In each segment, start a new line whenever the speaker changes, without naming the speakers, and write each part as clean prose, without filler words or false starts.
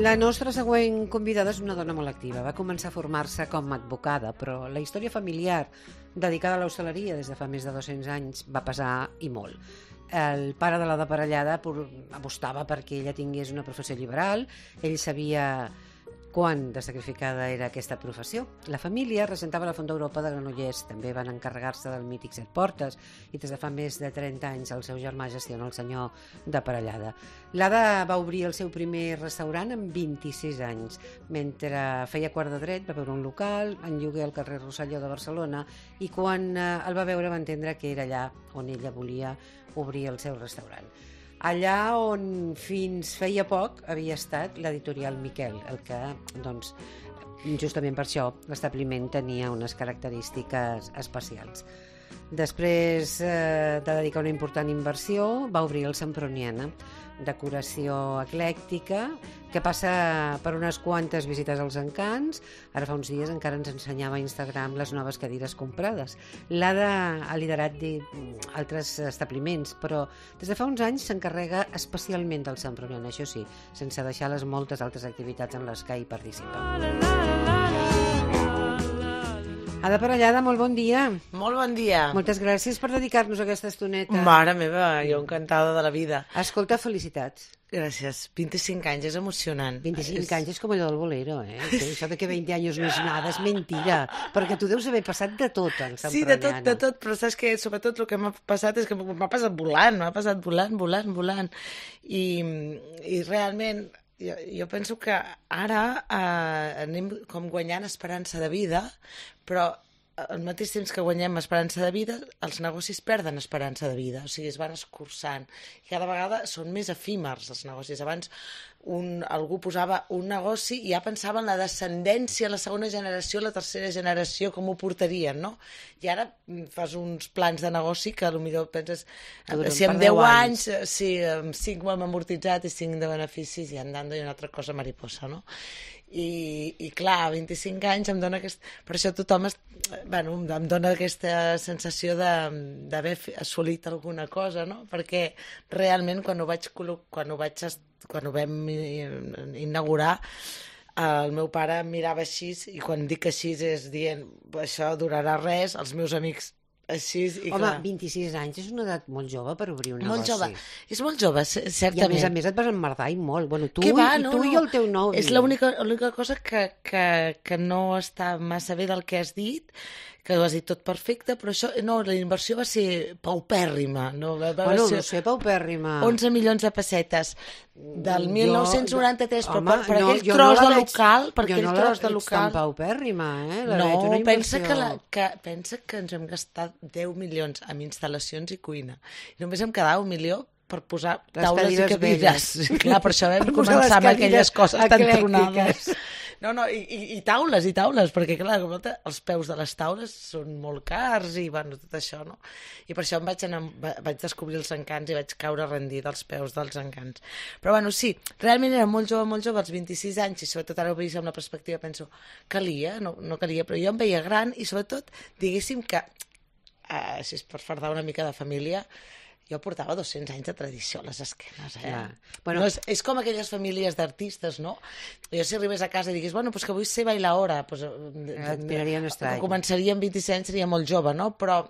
La nostra següent convidada és una dona molt activa. Va començar a formar-se com a advocada, però la història familiar dedicada a l'hostaleria des de fa més de 200 anys va pesar i molt. El pare de la deparellada apostava perquè ella tingués una professió liberal, ell sabia quant de sacrificada era aquesta professió. La família regentava la Font d'Europa de Granollers, també van encarregar-se del mític Set Portes i des de fa més de 30 anys el seu germà gestiona el senyor de Parellada. L'Ada va obrir el seu primer restaurant amb 26 anys. Mentre feia quart de dret va veure un local en lloguer al carrer Rosselló de Barcelona i quan el va veure va entendre que era allà on ella volia obrir el seu restaurant. Allà on fins feia poc havia estat l'editorial Miquel, el que, doncs, justament per això, l'establiment tenia unes característiques especials. Després de dedicar una important inversió, va obrir el Semproniana, decoració eclèctica, que passa per unes quantes visites als encants. Ara fa uns dies encara ens ensenyava a Instagram les noves cadires comprades. L'Ada ha liderat altres establiments, però des de fa uns anys s'encarrega especialment del Semproniana, això sí, sense deixar les moltes altres activitats en les que hi participa. Ada Parellada, molt bon dia.
Molt bon dia.
Moltes gràcies per dedicar-nos aquesta estoneta.
Mare meva, jo encantada de la vida.
Escolta, felicitats.
Gràcies. 25 anys, és emocionant.
25 anys és com allò del bolero, eh? Això de que 20 anys no és nada, és mentira. Perquè tu deus haver passat de tot, en Semproniana.
Sí, de tot, però saps que sobretot el que m'ha passat és que m'ha passat volant. I realment jo penso que ara anem com guanyant esperança de vida, però al mateix temps que guanyem esperança de vida, els negocis perden esperança de vida, o sigui, es van escurçant. I cada vegada són més efímers els negocis. Abans algú posava un negoci i ja pensava en la descendència, la segona generació, la tercera generació, com ho portarien, no? I ara fas uns plans de negoci que potser penses, si en 10 anys, si amb 5 ho hem amortitzat i 5 de beneficis, i andando i una altra cosa mariposa, no? I clar, 25 anys em dona per això tothom em dona aquesta sensació d'haver assolit alguna cosa, no? Perquè realment quan ho vam inaugurar, el meu pare em mirava així, i quan dic així és dient això durarà res, els meus amics així, i
home,
clar.
26 anys és una edat molt jove per obrir un
molt
negoci.
jove. És molt jove, certament.
I a més et vas emmerdar i molt. Bueno, tu,
no.
I el teu nòvio.
És l'única cosa que no està massa bé del que has dit, que ho has dit tot perfecte, però això, no, la inversió va ser paupèrrima. No
sé, paupèrrima.
11 milions de pessetes del 1993,
però
per aquell tros de local...
Jo no la veig tan paupèrrima, eh?
No, pensa que ens vam gastar 10 milions en instal·lacions i cuina. I només em quedava 1 milió per posar taules i cadires. Clar, per això vam començar amb aquelles coses tan tronades. No, i taules, perquè clar, els peus de les taules són molt cars i bueno, tot això, no? I per això vaig descobrir els encants i vaig caure rendida als peus dels encants. Però bueno, sí, realment era molt jove, als 26 anys, i sobretot ara ho veig amb la perspectiva, penso, calia, no calia, però jo em veia gran i sobretot, diguéssim que, si és per fardar una mica de família, jo portava 200 anys de tradició a les esquenes, eh? Bueno, és com aquelles famílies d'artistes, no? Jo si arribés a casa i digués, bueno, pues que vull ser bailaora, pues,
et miraria un estrany.
Començaria amb 26 anys, seria molt jove, no? Però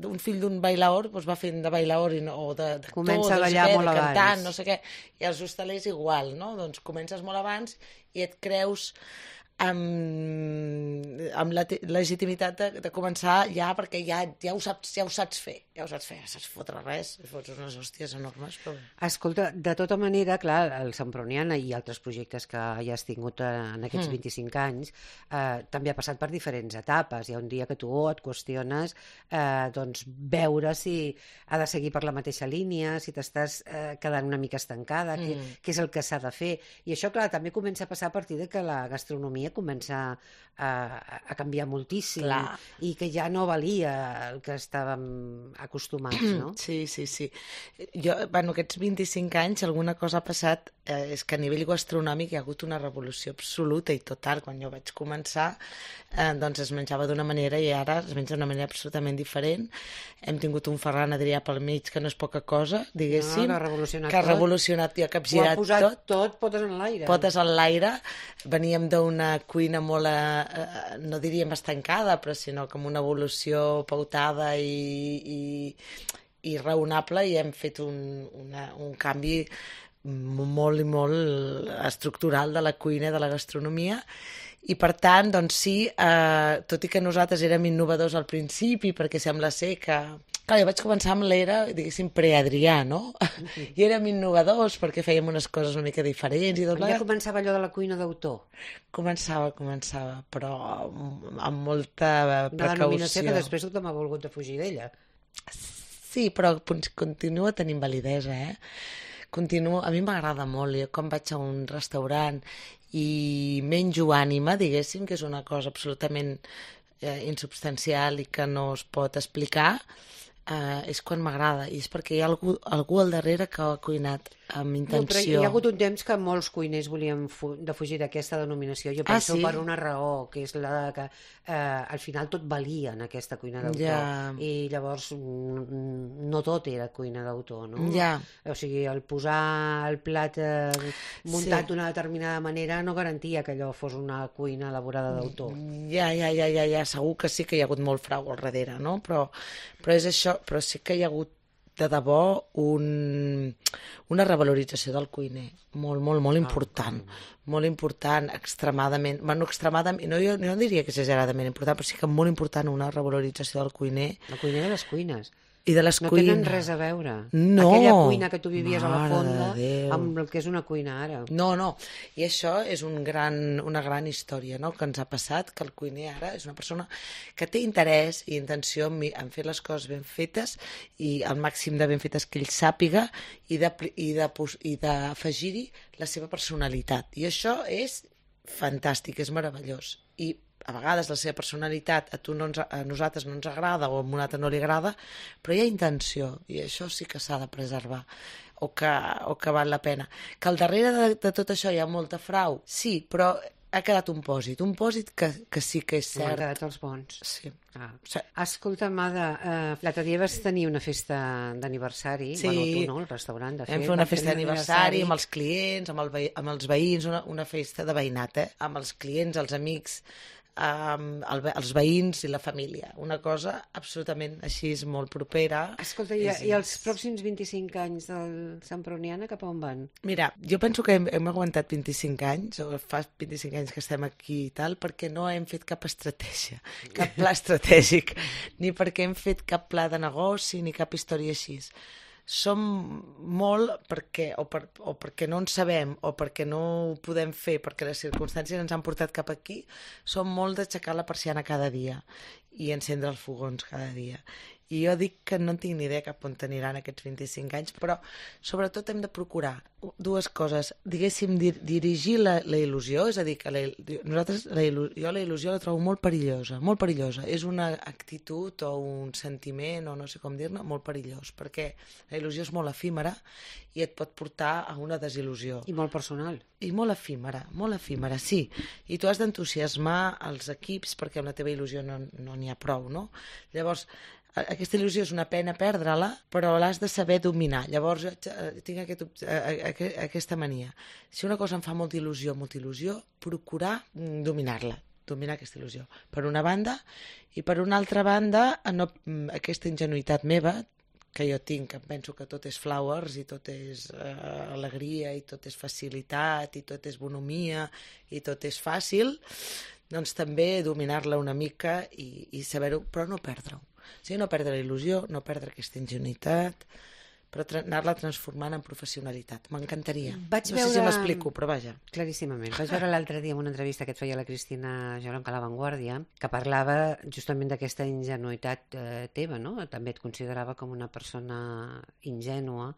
un fill d'un bailaor pues, va fent de bailaor o d'actor,
comença a ballar molt abans.
Cantant, no sé què. I els hostalers igual, no? Doncs comences molt abans i et creus amb la legitimitat de començar ja, perquè ja ho saps fer, saps fotre res, fots unes hòsties enormes. Però...
Escolta, de tota manera, clar, el Semproniana i altres projectes que ja has tingut en aquests 25 anys també ha passat per diferents etapes. Hi ha un dia que tu et qüestiones doncs veure si ha de seguir per la mateixa línia, si t'estàs quedant una mica estancada, què és el que s'ha de fer. I això, clar, també comença a passar a partir de que la gastronomia comença a canviar moltíssim. Clar. I que ja no valia el que estàvem acostumats, no?
Sí. Jo, aquests 25 anys, alguna cosa ha passat, és que a nivell gastronòmic hi ha hagut una revolució absoluta i total. Quan jo vaig començar, doncs es menjava d'una manera i ara es menja d'una manera absolutament diferent. Hem tingut un Ferran Adrià pel mig, que no és poca cosa, diguéssim,
que ha revolucionat
que ha
tot.
revolucionat i ha capgirat tot.
Ho ha posat tot, potes en l'aire.
Potes en l'aire. Veníem d'una cuina molt, no diríem estancada, però sinó com una evolució pautada i raonable, i hem fet un canvi molt i molt estructural de la cuina i de la gastronomia. I per tant, doncs sí, tot i que nosaltres érem innovadors al principi, perquè sembla ser que... Clar, jo vaig començar amb l'era, diguéssim, pre-Adrià, no? I érem innovadors perquè fèiem unes coses una mica diferents. I tot
ja començava allò de la cuina d'autor.
Començava, però amb molta precaució.
Una denominació que després tothom ha volgut de fugir d'ella.
Sí, però continua tenint validesa, a mi m'agrada molt. Jo quan vaig a un restaurant i menjo ànima, diguéssim, que és una cosa absolutament insubstancial i que no es pot explicar, és quan m'agrada, i és perquè hi ha algú al darrere que ha cuinat amb intenció.
No, però hi ha hagut un temps que molts cuiners volien defugir d'aquesta denominació. Jo penso per una raó, que és la que al final tot valia en aquesta cuina d'autor. I llavors no tot era cuina d'autor, no? O sigui, el posar el plat muntat d'una determinada manera no garantia que allò fos una cuina elaborada d'autor.
Segur que sí que hi ha hagut molt frau al darrere, no? Però és això, però sí que hi ha hagut de debò una revalorització del cuiner molt important, molt important, extremadament, jo no diria que exageradament important, però sí que molt important una revalorització del cuiner.
La cuiner de les cuines.
I de les cuines.
No tenen res a veure.
No.
Aquella cuina que tu vivies a la fonda amb el que és una cuina ara.
No. I això és una gran història, no?, que ens ha passat, que el cuiner ara és una persona que té interès i intenció en fer les coses ben fetes i el màxim de ben fetes que ell sàpiga i d'afegir-hi la seva personalitat. I això és fantàstic, és meravellós. I a vegades la seva personalitat a nosaltres no ens agrada o a un altre no li agrada, però hi ha intenció i això sí que s'ha de preservar o que val la pena. Que al darrere de tot això hi ha molta frau, sí, però ha quedat un pòsit que sí que és cert.
Han quedat els bons.
Sí.
Escolta'm, Ada, l'altre dia vas tenir una festa d'aniversari, bueno, tu no, el restaurant, de fet.
Vam fer una festa d'aniversari amb els clients, amb els veïns, una festa de veïnat, amb els clients, els amics, els veïns i la família. Una cosa absolutament així, molt propera.
Escolta, i els pròxims 25 anys del Santproniana cap a on van?
Mira, jo penso que hem aguantat 25 anys, o fa 25 anys que estem aquí i tal, perquè no hem fet cap estratègia, cap pla estratègic, ni perquè hem fet cap pla de negoci, ni cap història així. Som molt perquè no en sabem o perquè no ho podem fer, perquè les circumstàncies ens han portat cap aquí, som molt d'aixecar la persiana cada dia i encendre els fogons cada dia. I jo dic que no en tinc ni idea cap on aniran aquests 25 anys, però sobretot hem de procurar dues coses. Diguéssim, dirigir la il·lusió, és a dir, que jo la il·lusió la trobo molt perillosa, molt perillosa. És una actitud o un sentiment, o no sé com dir-ne, molt perillós, perquè la il·lusió és molt efímera i et pot portar a una desil·lusió.
I molt personal.
I molt efímera, sí. I tu has d'entusiasmar els equips perquè amb la teva il·lusió no n'hi ha prou, no? Llavors, aquesta il·lusió és una pena perdre-la, però l'has de saber dominar. Llavors, tinc aquesta mania. Si una cosa em fa molta il·lusió, procurar dominar-la, dominar aquesta il·lusió. Per una banda, i per una altra banda, aquesta ingenuïtat meva, que jo tinc, que penso que tot és flowers i tot és alegria i tot és facilitat i tot és bonomia i tot és fàcil, doncs també dominar-la una mica i saber-ho, però no perdre-ho. O sigui, no perdre la il·lusió, no perdre aquesta ingenuïtat, però anar-la transformant en professionalitat. M'encantaria. No sé si m'explico, però vaja.
Claríssimament. Vaig veure l'altre dia en una entrevista que et feia la Cristina Geronca a La Vanguardia, que parlava justament d'aquesta ingenuïtat teva, no? També et considerava com una persona ingènua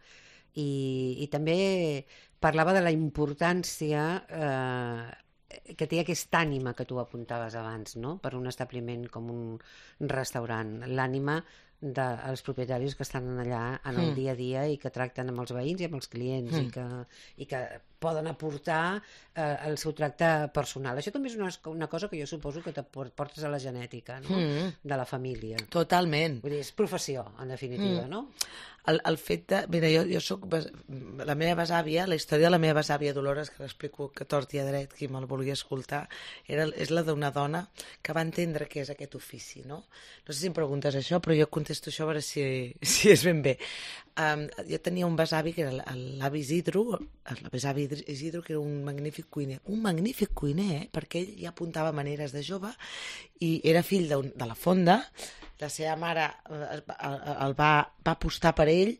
i també parlava de la importància que té aquesta ànima que tu apuntaves abans, no?, per un establiment com un restaurant. L'ànima dels propietaris que estan allà en el dia a dia i que tracten amb els veïns i amb els clients i que poden aportar el seu tracte personal. Això també és una cosa que jo suposo que te portes a la genètica, no? De la família.
Totalment.
Vull dir, és professió, en definitiva, no?
El fet de... Mira, jo soc... La meva besàvia, la història de la meva besàvia Dolores, que l'explico que tort i a dret, qui me'l vulgui escoltar, és la d'una dona que va entendre què és aquest ofici, no? No sé si em preguntes això, però jo contesto això a veure si és ben bé. Jo tenia un besavi que era l'avi Isidro, l'avi Isidro, que era un magnífic cuiner, perquè ell ja apuntava maneres de jove i era fill de la fonda. La seva mare el va apostar per ell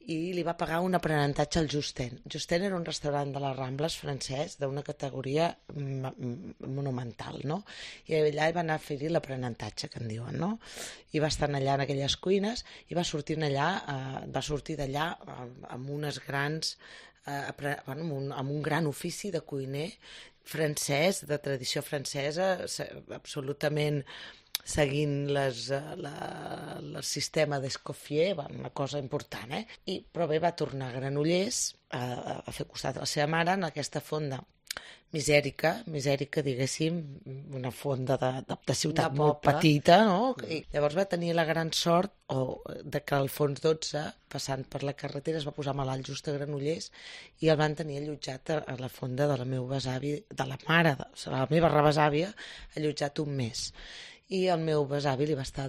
i li va pagar un aprenentatge al Justin. Justin era un restaurant de les Rambles francès d'una categoria monumental, no? I allà va anar a fer-hi l'aprenentatge, que en diuen, no? I va estar allà en aquelles cuines i va sortir d'allà amb unes grans... amb un gran ofici de cuiner francès, de tradició francesa, absolutament seguint el sistema d'Escoffier, una cosa important, però bé, va tornar a Granollers a fer costat a la seva mare en aquesta fonda misèrica, diguéssim, una fonda de ciutat molt petita, no? I llavors va tenir la gran sort de que al Fons 12, passant per la carretera, es va posar malalt just a Granollers i el van tenir allotjat a la fonda de la meva besavi, de la mare, de la meva rebesàvia, allotjat un mes. I el meu besavi li va estar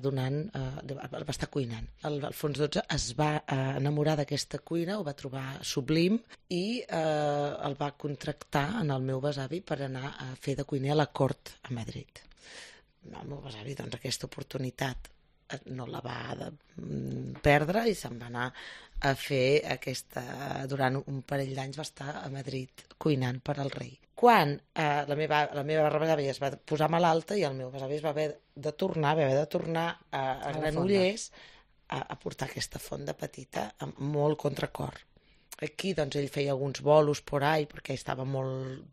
cuinant. El Fons 12 es va enamorar d'aquesta cuina, ho va trobar sublim i el va contractar en el meu besavi per anar a fer de cuiner a la cort a Madrid. El meu besavi, doncs, aquesta oportunitat no la va perdre i se'n va anar a fer durant un parell d'anys va estar a Madrid cuinant per al rei. Quan la meva rebesàvia es va posar malalta i el meu besavi va haver de tornar a Granollers a portar aquesta fonda petita amb molt contracor. Aquí doncs ell feia alguns bolos por ahí perquè estava molt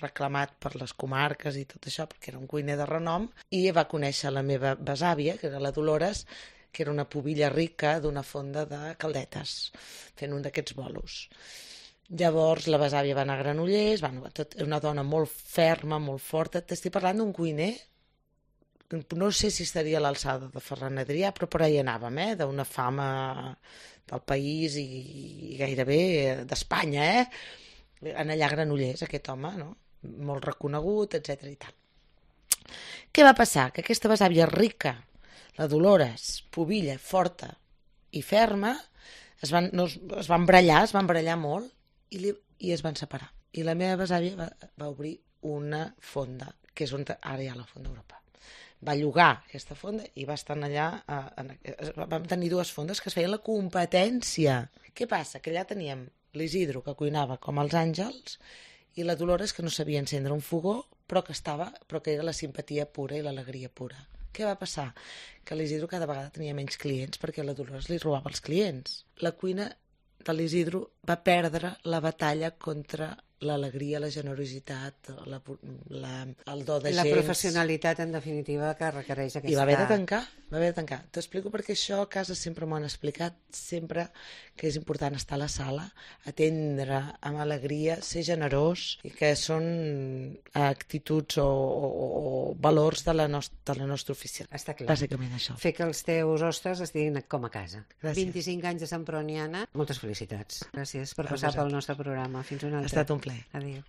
reclamat per les comarques i tot això perquè era un cuiner de renom i va conèixer la meva besàvia, que era la Dolores, que era una pubilla rica d'una fonda de caldetes fent un d'aquests bolos. Llavors la besàvia va anar a Granollers, una dona molt ferma, molt forta. T'estic parlant d'un cuiner, no sé si estaria a l'alçada de Ferran Adrià, però per ahí anàvem, d'una fama del país i gairebé d'Espanya, en allà a Granollers, aquest home, no? Molt reconegut, etc i tal. Què va passar? Que aquesta besàvia rica, la Dolores, pubilla, forta i ferma, es van barallar molt i es van separar. I la meva besàvia va obrir una fonda, que és on ara hi ha la Fonda Europa. Va llogar aquesta fonda i va estar allà... Vam tenir dues fondes que es feien la competència. Què passa? Que allà teníem l'Isidro, que cuinava com els àngels, i la Dolores, que no sabia encendre un fogó, però que era la simpatia pura i l'alegria pura. Què va passar? Que l'Isidro cada vegada tenia menys clients perquè la Dolores li robava els clients. La cuina de l'Isidro va perdre la batalla contra l'alegria, la generositat, el do de gens.
La professionalitat, en definitiva, que requereix aquesta...
I va haver de tancar. T'explico perquè això a casa sempre m'ho han explicat, sempre que és important estar a la sala, atendre amb alegria, ser generós, i que són actituds o valors de la nostra oficina.
Està clar.
Bàsicament això.
Fer que els teus hostes estiguin com a casa.
Gràcies.
25 anys de Sant Proniana. Moltes felicitats. Gràcies per passar pel nostre programa. Fins una altra.
Ha estat un plaer.
Adéu.